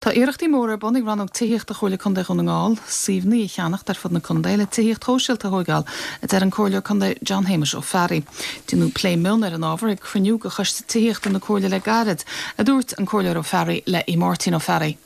Tá iarrachtaí móra ar bun ag Rannóg Tithíochta Chomhairle Contae Dhún na nGall suíomhanna a cheannacht ar fud na contae le tithíocht shóisialta a thóigeáil, a deir an Comhairleoir Contae John Shéamuis Ó Fearraigh. Déanadh plé mion ar an ábhar ag cruinniú de Choiste Tithíochta na Comhairle le gairid, a dúirt an Comhairleoir Ó Fearraigh le Aodh Máirtín Ó Fearraigh.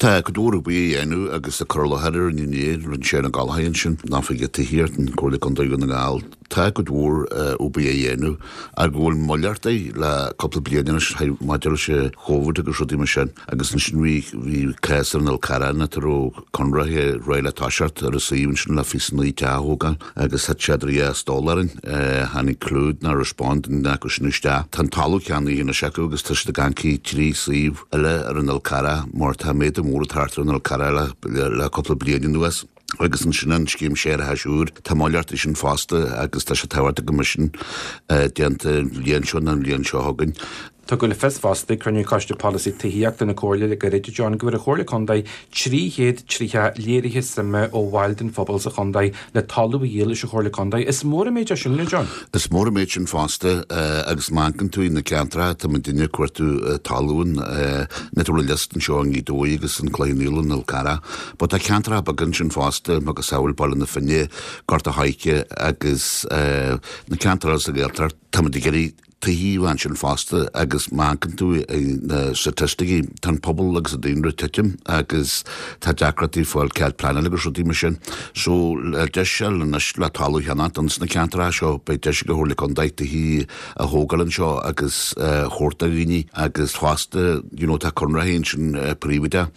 Tá cuid mhór oibre á dhéanamh agus tá cur i láthair ar an inné, rinne sé na Gallchóir ansin, an Oifigeach Tithíochta an Chomhairle Contae Dhún na nGall. Tá cuid mhór oibre á dhéanamh ach go bhfuil moill orthu le cúpla bliain anois maidir leis an Chóvid agus rudaí mar sin agus ansin bhí bhí cás ar an Fhál Carrach nach raibh conraithe réidh le toiseacht ar an suíomh ansin le 29 teach a thógáil agus thit sé idir dhá stól orainn. Tháinig clúid ná respond an acu sin isteach. Tá an talamh ceannaithe anois acu agus tá siad ag amharc trí suíomh eile ar an Fhál Carrach mar tá méadú mór ag teacht ar an Fhál Carrach le cúpla bliain anuas. Agus ansin an scéim séarachais úr, tá moill orthu sin fosta agus tá sé tábhachtach go mbeidh sin déanta an bhliain seo nó an bhliain seo chugainn. Tugadh le fios fosta ag cruinniú Choiste Polasaí Tithíochta na Comhairle le gairid, a John, go bhfuair an Chomhairle Contae 330 léirithe suime ó bhaill den phobal sa chontae le talamh a dhíol leis an Chomhairle Contae. Is mór an méid é sin, a John. Is mór an méid sin fosta agus má amharcann tú na ceantracha tá muidinne ag cuartú talún, na tabhair liosta anseo i nGaoth Dobhair agus an Cloich Cheann Fhaola, an Fhál Carrach. But tá ceantracha beaga ansin fosta, macasamhail Baile na Finne, Gort a' Choirce agus na ceantair eile sa Ghaeltacht. Táimid ag iarraidh tithí a bheith ansin fosta agus má amharcann tú ar na staitisticí, tá an pobal agus an daonra ag titim agus tá deacrachtaí fáil cead pleanála agus rudaí mar sin. So le deis a fháil anois le talamh a cheannacht ins na ceantracha seo, beidh deis ag an Chomhairle Contae tithí a thógáil anseo agus a thabhairt do dhaoine agus fosta you know tá conraitheoirí ansin príobháideach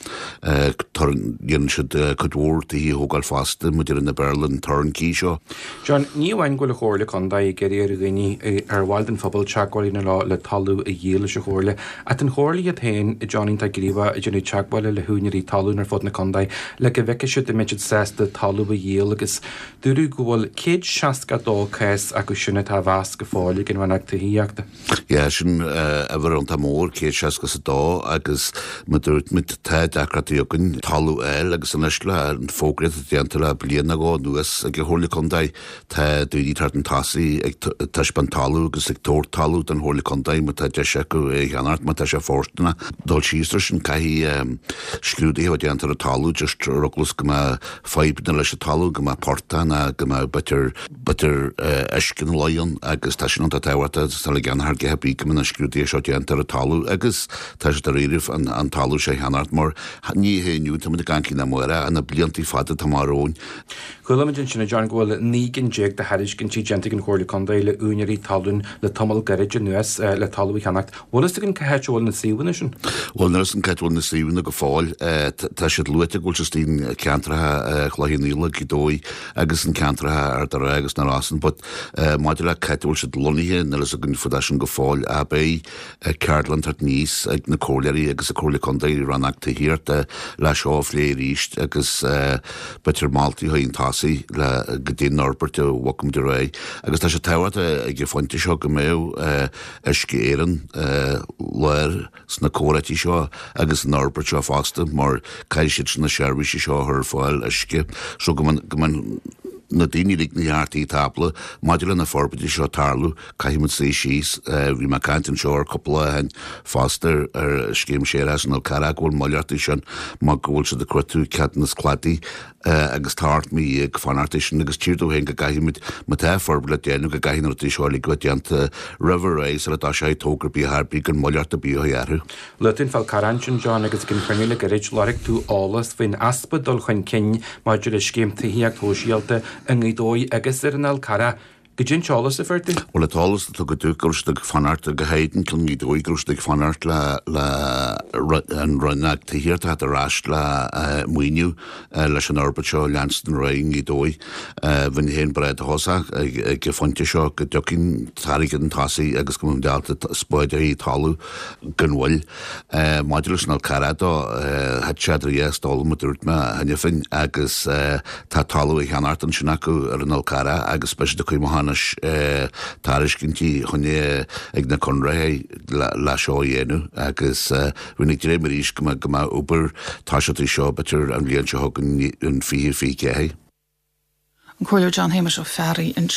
déanann siad cuid mhór tithí a thógáil fosta maidir na Béarla an turnkey seo. John, ní amháin go bhfuil an Chomhairle Contae ag iarraidh ar dhaoine, ar bhaill den phobal teagmháil a dhéanamh leo le talamh a dhíol leis an Chomhairle, ach tá an Chomhairle iad féin, John, iontach gníomhach ag déanamh teagmhála le húinéirí talún ar fud na contae le go bhfeicfidh siad an mbeidh siad sásta talamh a dhíol agus Dúradh go bhfuil 162 cás acu sin atá á mheas go fóill ag an Rannóg Tithíochta. Yeah, sin uimhir iontach mór, 162, agus mar dúirt muid, tá deacrachtaí againn talamh a fháil agus anois le an fógraíocht atá déanta le bliain nó dhó anuas ag an Chomhairle Contae, tá daoine ag teacht chun tosaigh ag taispeáint talamh agus ag tabhairt talamh don Chomhairle Contae má tá deis acu é a cheannacht, má tá sé fóirsteanach. Dul síos air sin, caithfidh scrúduithe a bheith déanta ar an talamh just ar eagla is go mbeadh fadhbanna leis an talamh, go mbeadh portach ná go mbeadh b'fhéidir, b'fhéidir uisce ina luí ann agus tá sin iontach tábhachtach agus tá le déanamh thar gcéad bídh go mbeadh na scrúduithe seo déanta ar an talamh agus tá sé dáiríribh an, an talamh seo a cheannacht mar ní hé inniu tá muid ag caint ná amárach ach na bliantaí fada atá amach romhainn. Chuala muid ansin, a John, go bhfuil 19 gcinn de thairiscintí déanta ag an Chomhairle Contae le úinéirí talún le tamall gairid anuas le talamh a cheannacht. Bhfuil fhios againn cá háit a bhfuil na suíomhanna sin? Bhuel, níl fhios againn cá háit a bhfuil na suíomhanna go fóill. Tá siad luaite go bhfuil siad istigh in ceantracha Chloich Cheann Fhaola, Gaoth Dobhair agus in ceantracha Ard an Rátha agus na Rosann but maidir le cá háit a bhfuil siad lonnaithe, níl fhios againn fá dtaobh sin go fóill. Ach beidh ceardlann ag teacht aníos ag na comhairleoirí agus an Comhairle Contae, Rannóg Tithíochta le seo a phlé arís agus b'fhéidir moltaí a chur chun tosaigh le go dtí an fhorbairt a bhogfaidh muid ar aghaidh. Agus tá sé tábhachtach ag an phointe seo go mbeadh Uisce Éireann lár sna comhráití seo agus san fhorbairt seo fosta mar caithfidh siad na seirbhísí seo a chur ar fáil uisce so go mbeidh na daoine uilig na ceartaí tábla maidir le na forbairtí seo tarlú caithfidh muid suí síos. Bhí mé ag caint anseo ar cúpla lá ó shin fosta ar scéim séarachais an Fhál Carrach go bhfuil moill orthu sin mar go bhfuil siad ag cuartú ceadúnas cladaigh agus tá 18 mí ag fanacht air sin agus tchítear domh féin go gcaithfidh muid, má tá forbairt le déanamh, go gcaithfidh na rudaí seo uilig a bheith déanta roimh ré sula dtoiseoidh togra ar bith ar bith gan moill ar bith a chur orthu. Luaigh tú an Fál Carrach ansin, John, agus ag an chruinniú le gairid, lorg tú eolas faoin easpa dul chun cinn maidir le scéim tithíocht shóisialta i nGaoth Dobhair agus ar an Fhál Carrach. Goidé an t-eolas a fuair tú? Bhuel, an t-eolas a tugadh domh go raibh siad ag fanacht, go háirid i nGaoth Dobhair, go raibh siad ag fanacht le le an Rannóg Tithíochta a theacht ar ais le maoiniú leis an fhorbairt seo a leanstan ar aghaidh i nGaoth Dobhair. Bheinn féin breá dóchasach ag an phointe seo go dtiocfaidh an t-airgead chun tosaigh agus go mbeidh muid ábalta spáid a thalamh gan mhoill. Maidir leis an Fhál Carrach dó, thit sé idir dhá stól mar a dúirt mé cheana féin agus tá talamh á cheannacht ansin acu ar an Fhál Carrach agus beidh siad ag cur amach anois tairiscintí chun ag na conraitheoirí le seo a dhéanamh agus bheinn ag dréim arís go mbeidh go mbeidh obair toiseachta seo b'fhéidir an bhliain seo chugainn an 2024. An Comhairleoir John Shéamuis Ó Fearraigh ansin.